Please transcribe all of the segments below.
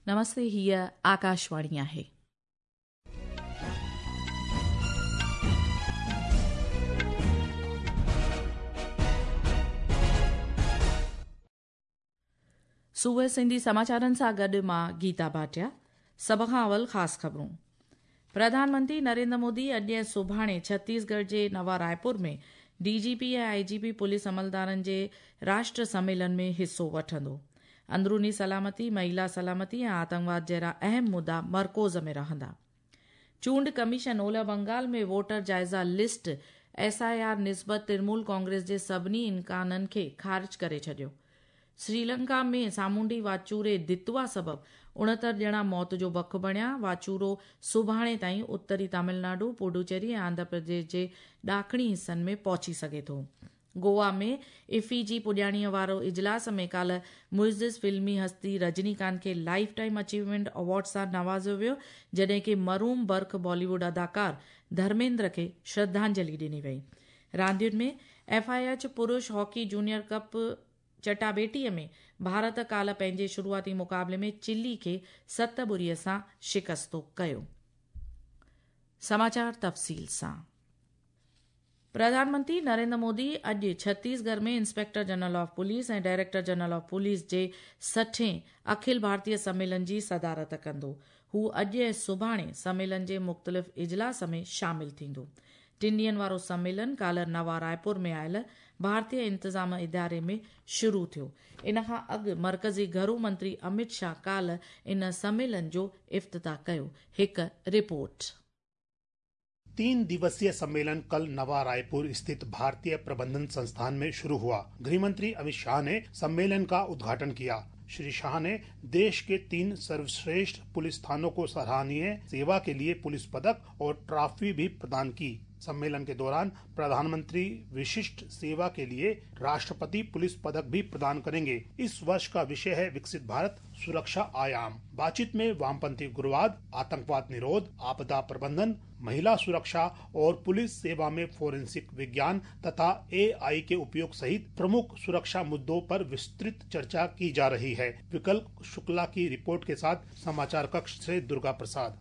نمستي هيء آڪاشواڻي آهي. صبح سنڌي سماچارن سان گڏ مان گيتا ڀاٽيا. سڀ کان اول خاص خبرون. پرڌان منتري نريندر مودي اڄ ۽ سڀاڻي ڇتيسڳڙهه جي نوا Raipur ۾ D G P ۽ I G P police عملدارن جي راشٽر سميلن ۾ حصو وٺندو. اندروني سلامتي، مهيلا سلامتي ۽ آتنڪواد جهڙا اهم مدعا مرڪوز ۾ رهندا. چونڊ ڪميشن اولهه بنگال ۾ ووٽر جائزه لسٽ، ايس I R, نسبت ترنمول ڪانگريس جي سڀني امڪانن کي خارج ڪري ڇڏيو. سريلنڪا ۾ سامونڊي واچوڙي دتوا سبب 69 ڄڻا موت جو بک بڻيا. واچوڙو سڀاڻي تائين اتري تامل ناڊو، پڊوچيري ۽ آنڌرا پرديش جي ڏاکڻي حصن ۾ پهچي سگهي ٿو. گوا ۾ افي جي پڄاڻيء وارو اجلاس ۾ ڪالهه معزز فلمي هستي رجني ڪانت کي لائف ٽائيم اچيومينٽ ايوارڊ سان نوازيو ويو، جڏهن ڪي مرحوم برک بالي ووڊ اداڪار ڌرميندر کي شرڌانجلي ڏني وئي. راندين ۾ ايف I H پرش هاڪي جونيئر ڪپ چٽاڀيٽي ۾ ڀارت ڪالهه پنهنجي شروعاتي مقابلي ۾ چلي کي ست ٻڙي سان شڪستو ڪيو. سماچار تفصيل سان. پرڌان منتري نريندر مودي اڄ Chhattisgarh ۾ inspector general of police ۽ director general of police جي سٺين اکل ڀارتيه سميلن جي صدارت ڪندو. هو اڄ ۽ سڀاڻي سميلن جي مختلف اجلاس ۾ شامل ٿيندو. ٽن ڏينهن وارو سميلن ڪالهه نوا رائپور ۾ آيل ڀارتيه انتظام اداري ۾ شروع ٿيو. ان کان اڳ مرڪزي گهرو منتري امت شاهه ڪالهه ان سميلن جو افتتاح ڪيو. هڪ رپورٽ. 3 दिवसीय सम्मेलन कल नवा रायपुर स्थित भारतीय प्रबंधन संस्थान में शुरू हुआ। गृह मंत्री अमित शाह ने सम्मेलन का उद्घाटन किया। श्री शाह ने देश के 3 सर्वश्रेष्ठ पुलिस थानों को सराहनीय सेवा के लिए पुलिस पदक और ट्रॉफी भी प्रदान की। सम्मेलन के दौरान प्रधानमंत्री विशिष्ट सेवा के लिए राष्ट्रपति पुलिस पदक भी प्रदान करेंगे। इस वर्ष का विषय है विकसित भारत सुरक्षा आयाम। बातचीत में वामपंथी उग्रवाद, आतंकवाद निरोध, आपदा प्रबंधन, महिला सुरक्षा और पुलिस सेवा में फोरेंसिक विज्ञान तथा एआई के उपयोग सहित प्रमुख सुरक्षा मुद्दों पर विस्तृत चर्चा की जा रही है। विकल्प शुक्ला की रिपोर्ट के साथ समाचार कक्ष से दुर्गा प्रसाद।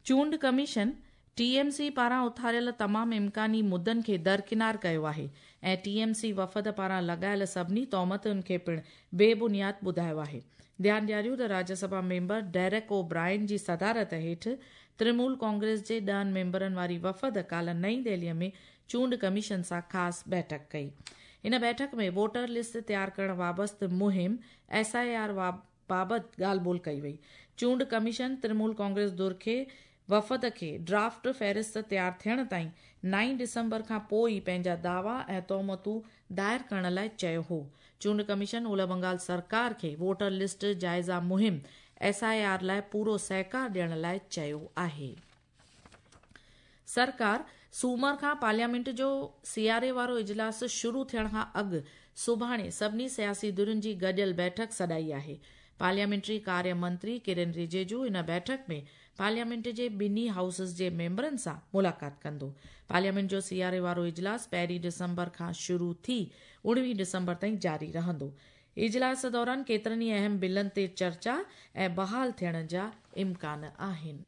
चूंड कमीशन टीएमसी पारां उथारियल तमाम इम्कानी मुद्दनि खे दरकिनार कयो आहे ऐं टीएमसी वफ़द पारां लॻायल सभिनी तोहमतुनि खे पिणु बेबुनियाद ॿुधायो आहे। ध्यानु ॾियारियूं त राज्यसभा मेंबर डेरेक ओ ब्रायन जी सदारत हेठि तृणमूल कांग्रेस जे 10 मेंबरनि वारी वफ़द काल्हि नई दिल्लीअ में चूंड कमीशन सां ख़ासि बैठक कई। इन बैठक में वोटर लिस्ट तयार करण वाबस्ते मुहिम एस I R बाबति ॻाल्हि ॿोल कई वई। चूंड कमीशन तृणमूल कांग्रेस धुर खे वफ़द खे ड्राफ्ट फ़हरिस्त तयार थियण ताईं 9 डिसंबर खां पोइ ई पंहिंजा दावा ऐं तोहमतूं दायर करण लाइ चयो हो। चूंड कमीशन ओलह बंगाल सरकार खे वोटर लिस्ट जाइज़ा मुहिम एस I R लाइ पूरो सहकार ॾियण लाइ चयो आहे। सरकार सूमर खां पार्लियामेंट जो सियारे वारो इजलास शुरू थियण खां अॻु सुभाणे सभिनी सियासी धुरियुनि जी गॾियल बैठक सॾाई आहे। पार्लियामेंट्री कार्य मंत्री किरण रिजिजू इन बैठक में पार्लियामेंट जे ॿिन्ही हाउसिस जे मेंबरनि सां मुलाक़ात कंदो। पार्लियामेंट जो सियारे वारो इजलास 1 डिसंबर खां शुरू थी 19 डिसंबर ताईं जारी रहंदो। इजलास दौरान केतिरनि ई अहम बिलनि ते चर्चा ऐं बहाल थियण जा इम्कान आहिनि।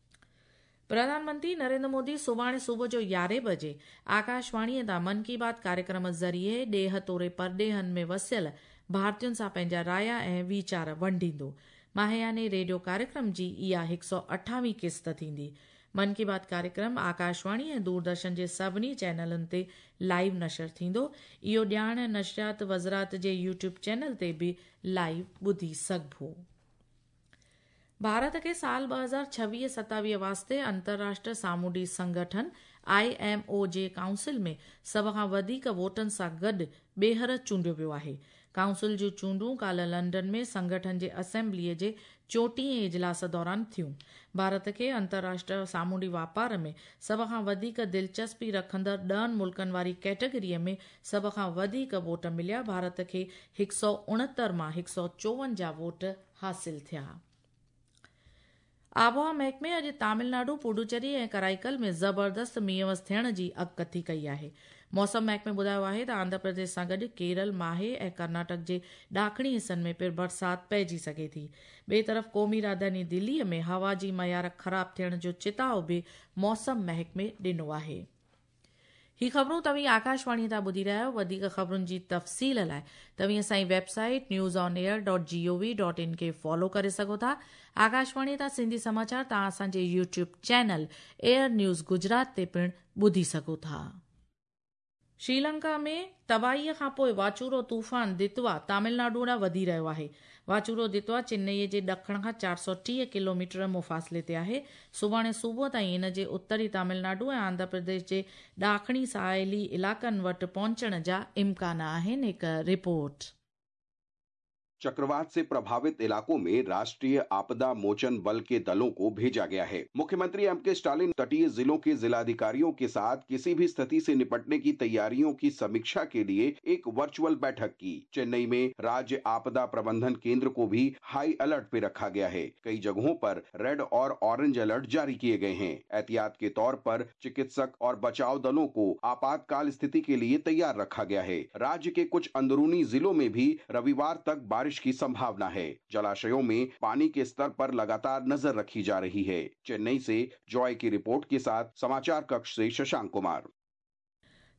प्रधानमंत्री नरेंद्र मोदी सुभाणे सुबुह जो 11 बजे आकाशवाणीअ तां मन की बात कार्यक्रम ज़रिए ॾेह तोड़े परॾेहनि में वसियल भारतीयुनि सां पंहिंजा राया ऐं वीचार वंडींदो। माहियाने रेडियो कार्यक्रम जी इहा 128वीं किस्त थींदी। मन की बात कार्यक्रम आकाशवाणी ऐं दूरदर्शन जे सभिनी चैनलनि ते लाइव नशर थींदो। इहो ॼाण नशरियात वज़ारत जे यूट्यूब चैनल ते बि लाइव ॿुधी सघिबो। भारत खे साल 2026-27 वास्ते अंतर्राष्ट्रीय सामुंडी संगठन IMO जे काउंसिल में सभ खां वधीक वोटनि सां गॾु ॿीहर चूंडियो वियो आहे। काउंसिल जूं चूंडूं काल्हि लंडन में संगठन जे असेंबलीअ जे 34वें इजलास दौरान थियूं। भारत खे अंतर्राष्ट्रीय सामुंडी वापार में सभ खां वधीक दिलचस्पी रखंदड़ 10 मुल्कनि वारी कैटेगरीअ में सभ खां वधीक वोट मिलिया। भारत खे 169 मां 154 वोट हासिल थिया। आबहावा महकमे अॼु तमिलनाडु, पुडुचेरी ऐं कराईकल में ज़बरदस्त मींहुं थियण जी अॻकथी कई आहे। मौसम महकमे ॿुधायो आहे त आंध्र प्रदेश सां गॾु केरल, माहे ऐं कर्नाटक जे ॾाखणी हिसनि में पिणु बरसाति पइजी सघे थी। ॿिए तरफ़ क़ौमी राजधानी दिल्लीअ में हवा जी मयार ख़राब थियण जो चिताव बि मौसम महकमे ॾिनो आहे। ही ख़बरूं तव्हीं आकाशवाणी तां ॿुधी रहिया आहियो। वधीक ख़बरुनि जी तफ़सील लाइ तव्हीं असांजी वेबसाइट newsonair.gov.in खे फॉलो करे सघो था। आकाशवाणी तां सिंधी समाचार तव्हां असांजे YouTube channel Air News Gujarat ते पिणु ॿुधी सघो था। श्रीलंका में तबाहीअ खां पोइ वाचूरो तूफ़ान दितवा तमिलनाडु ॾांहुं वधी रहियो आहे। वाचूरो दितवा चेन्नईअ जे ॾखण खां 430 किलोमीटर मुफ़ासिले ते आहे। सुभाणे सुबुह ताईं इन जे उत्तरी तमिलनाडु ऐं आंध्र प्रदेश जे ॾाखणी साहिली इलाइक़नि वटि पहुचण जा इम्कान आहिनि। हिकु रिपोर्ट। चक्रवात से प्रभावित इलाकों में राष्ट्रीय आपदा मोचन बल के दलों को भेजा गया है। मुख्यमंत्री एम के स्टालिन तटीय जिलों के जिलाधिकारियों के साथ किसी भी स्थिति से निपटने की तैयारियों की समीक्षा के लिए एक वर्चुअल बैठक की। चेन्नई में राज्य आपदा प्रबंधन केंद्र को भी हाई अलर्ट पे रखा गया है। कई जगहों पर रेड और ऑरेंज अलर्ट जारी किए गए हैं। एहतियात के तौर पर चिकित्सक और बचाव दलों को आपातकाल स्थिति के लिए तैयार रखा गया है। राज्य के कुछ अंदरूनी जिलों में भी रविवार तक बारिश की संभावना है। जलाशयों में पानी के स्तर पर लगातार नजर रखी जा रही है। चेन्नई से जॉय की रिपोर्ट के साथ समाचार कक्ष से शशांक कुमार।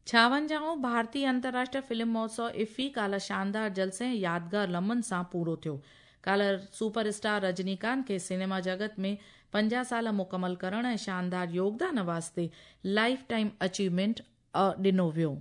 56वां भारतीय अंतर्राष्ट्रीय फिल्म महोत्सव इफ़ी काल्ह शानदार जलसे ऐं यादगार लम्हनि सां पूरो थियो। काल्ह सुपर स्टार रजनीकांत खे सिनेमा जगत में 50 साल मुकमल करण ऐं शानदार योगदान वास्ते लाइफ टाइम अचीवमेंट ॾिनो वियो।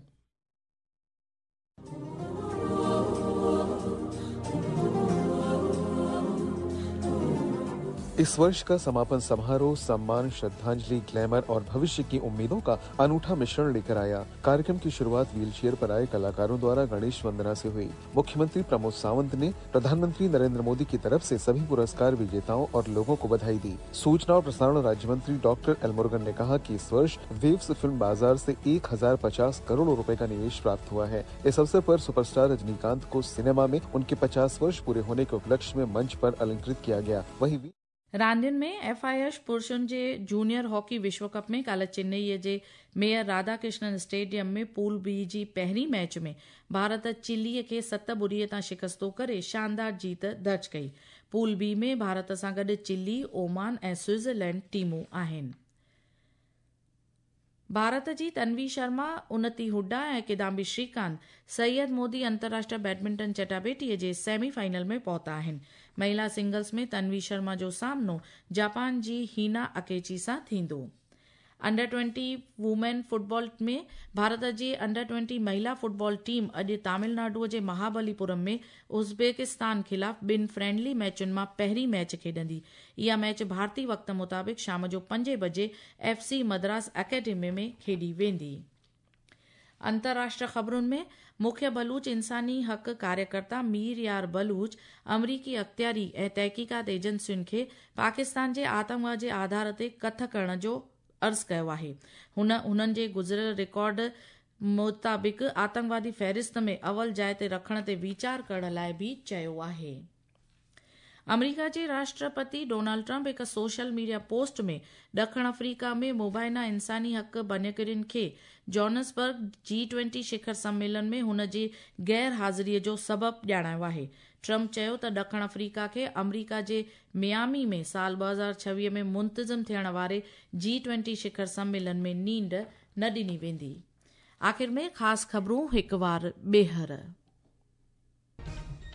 इस वर्ष का समापन समारोह सम्मान, श्रद्धांजलि, ग्लैमर और भविष्य की उम्मीदों का अनूठा मिश्रण लेकर आया। कार्यक्रम की शुरुआत व्हीलचेयर पर आए कलाकारों द्वारा गणेश वंदना से हुई। मुख्यमंत्री प्रमोद सावंत ने प्रधानमंत्री नरेंद्र मोदी की तरफ से सभी पुरस्कार विजेताओं और लोगों को बधाई दी। सूचना और प्रसारण राज्य मंत्री डॉक्टर एल मुरुगन ने कहा कि इस वर्ष वेव्स फिल्म बाजार से 1050 करोड़ रुपए का निवेश प्राप्त हुआ है। इस अवसर पर सुपरस्टार रजनीकांत को सिनेमा में उनके 50 वर्ष पूरे होने के उपलक्ष्य में मंच पर अलंकृत किया गया। वहीं रांदियुनि में एफ I H पुरुषनि जे जूनियर हॉकी विश्व कप में काल्ह चेन्नईअ जे मेयर राधाकृष्णन स्टेडियम में पूल बी जी पहिरीं मैच में भारत चिलीअ खे 7-0 तां शिकस्तो करे शानदार जीत दर्ज कई। पूल बी में भारत सां गॾु चिली, ओमान ऐं स्विट्ज़रलैंड टीमूं आहिनि। भारत जी तन्वी शर्मा, उन्नति हुड्डा ऐं किदाम्बी श्रीकांत सैयद मोदी अंतर्राष्ट्रीय बैडमिंटन चटाबेटीअ जे सेमीफाइनल में पहुता आहिनि। महिला सिंगल्स में तन्वी शर्मा जो सामनो जापान जी हीना अकेची सां थींदो। अंडर 20 वुमेन फुटबॉल में भारत जी अंडर 20 महिला फुटबॉल टीम अॼु तमिलनाडुअ जे महाबलीपुरम में उज़्बेकिस्तान ख़िलाफ़ ॿिनि फ्रेंडली मैचुनि मां पहिरीं मैच खेॾंदी। इहा मैच भारतीय वक़्त मुताबिक़ शाम जो 5 बजे एफ सी मद्रास अकेडमी में खेॾी वेंदी। अंतर्राष्ट्रीय ख़बरुनि में मुख्य बलूच इंसानी हक़ कार्यकर्ता मीर यार बलूच अमरीकी अख़्तियारी ऐं तहक़ीक़ात एजेंसियुनि खे पाकिस्तान जे आतंकवाद जे आधार ते कथ करण जो अर्ज़ कयो आहे। हुन हुननि जे गुज़िरियल रिकॉर्ड मुताबिक़ आतंकवादी फ़हरिस्त में अवल जाइ ते रखण ते वीचार करण लाइ बि चयो आहे। अमरीका जे राष्ट्रपति डोनाल्ड ट्रंप हिकु सोशल मीडिया पोस्ट में ॾखिण अफ्रीका में मुबाइना इंसानी हक़ भञकड़ियुनि खे जोहान्सबर्ग G20 शिखर सम्मेलन में हुन जी गैर हाज़िरीअ जो सबबु ॼाणायो आहे। ट्रंप चयो त ॾखिण अफ्रीका खे अमरीका जे मियामी में साल 2026 में मुंतज़िम थियण वारे G20 शिखर सम्मेलन में नींड न ॾिनी वेंदी। आख़िर में ख़ासि ख़बरूं हिकु वार ॿीहर।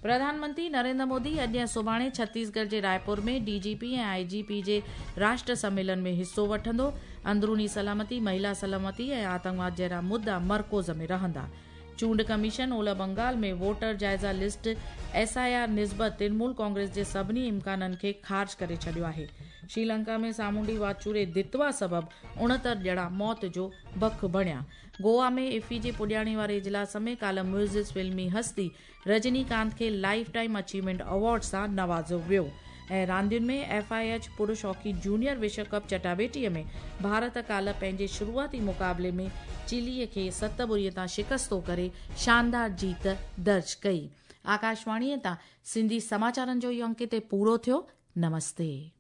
प्रधानमंत्री नरेंद्र मोदी अॼु ऐं सुभाणे छत्तीसगढ़ जे रायपुर में डीजीपी ऐं आईजीपी जे राष्ट्र सम्मेलन में हिसो वठंदो। अंदरूनी सलामती, महिला सलामती ऐं आतंकवाद जहिड़ा मुद्दा मरकज़ में रहंदा। चूंड कमीशन ओलह बंगाल में वोटर जाइज़ा लिस्ट एसआईआर निस्बत तृणमूल कांग्रेस जे सभिनी इम्काननि खे ख़ारिज करे छॾियो आहे। श्रीलंका में सामुंडी वाचूरे दितवा सबबु 69 ॼणा मौत जो बख बणिया। गोवा में इफ़ी जे पुॼाणी वारे इजलास में काल्ह मुइज़िज़ फ़िल्मी हस्ती रजनीकांत खे लाइफ टाइम अचीवमेंट अवॉर्ड सां नवाज़ियो वियो। ऐं रांदियुनि में एफ I H पुरुष हॉकी जूनियर विश्व कप चटाबेटीअ में भारत काल्ह पंहिंजे शुरूआती मुक़ाबले में चिलीअ खे 7-0 तां शिकस्तो करे शानदार जीत दर्ज कई। आकाशवाणीअ तां सिंधी समाचारनि जो इहो अंक हिते पूरो थियो। नमस्ते।